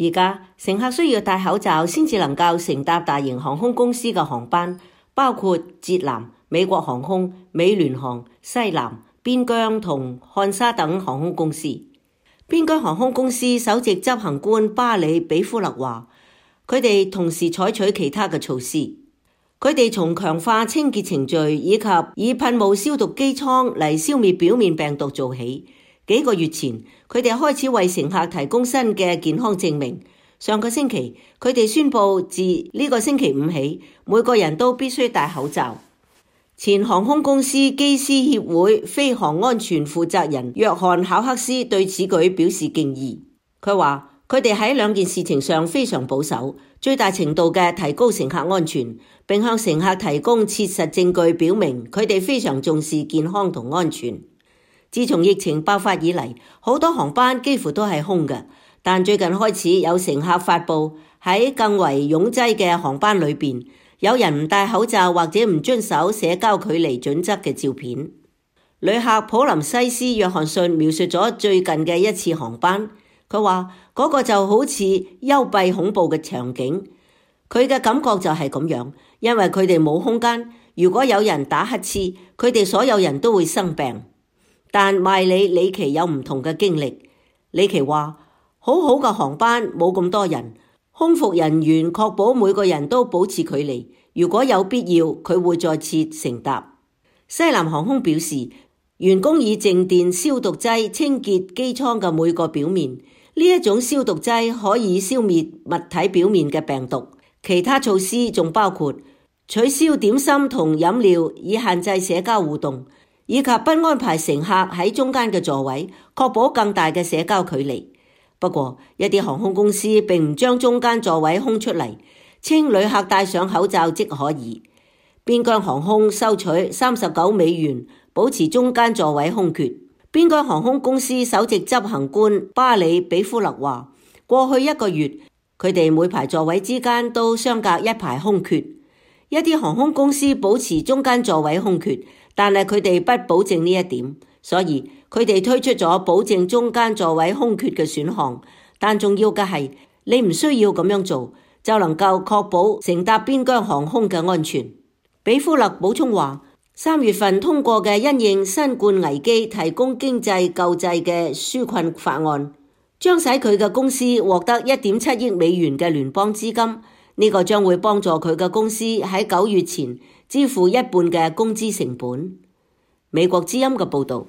而家乘客需要戴口罩先至能夠乘搭大型航空公司嘅航班，包括捷藍、美國航空、美聯航、西南、邊疆同漢莎等航空公司。邊疆航空公司首席執行官巴里比夫勒話，佢哋同時採取其他嘅措施。佢哋從強化清潔程序以及以噴霧消毒機艙嚟消滅表面病毒做起。幾個月前，佢哋開始為乘客提供新嘅健康證明。上個星期，佢哋宣布自呢個星期五起，每個人都必須戴口罩。前航空公司機師協會飛航安全負責人約翰考克斯對此舉表示敬意。佢話，佢哋喺兩件事情上非常保守，最大程度嘅提高乘客安全，並向乘客提供切實證據表明佢哋非常重視健康同安全。自從疫情爆發以嚟，好多航班幾乎都係空嘅，但最近開始有乘客發布喺更為擁擠嘅航班裏邊，有人唔戴口罩或者唔遵守社交距離準則嘅照片。旅客普林西斯約翰遜描述咗最近嘅一次航班，佢話嗰個就好似幽閉恐怖嘅場景，佢嘅感覺就係咁樣，因為佢哋冇空間，如果有人打乞嗤，佢哋所有人都會生病。但麥里奇有唔同嘅經歷。里奇話，好好嘅航班冇咁多人，空服人員確保每個人都保持距離，如果有必要佢會再次乘搭。西南航空表示，員工以靜電消毒劑清潔機艙嘅每個表面，呢一種消毒劑可以消滅物體表面嘅病毒。其他措施仲包括取消點心同飲料以限制社交互動，以及不安排乘客喺中間嘅座位，確保更大嘅社交距離。不過，一啲航空公司並唔將中間座位空出嚟，稱旅客戴上口罩即可以。邊疆航空收取39美元，保持中間座位空缺。邊疆航空公司首席執行官巴里比夫勒話，過去一個月，佢哋每排座位之間都相隔一排空缺。一啲航空公司保持中間座位空缺，但係佢哋不保證呢一點，所以佢哋推出咗保證中間座位空缺嘅選項。但重要嘅係，你唔需要咁樣做，就能夠確保乘搭邊疆航空嘅安全。比夫勒補充話，3月份通過嘅因應新冠危機提供經濟救濟嘅紓困法案，將使佢嘅公司獲得1.7億美元嘅聯邦資金。呢個將會幫助佢嘅公司喺9月前支付一半嘅工資成本。美國之音嘅報導。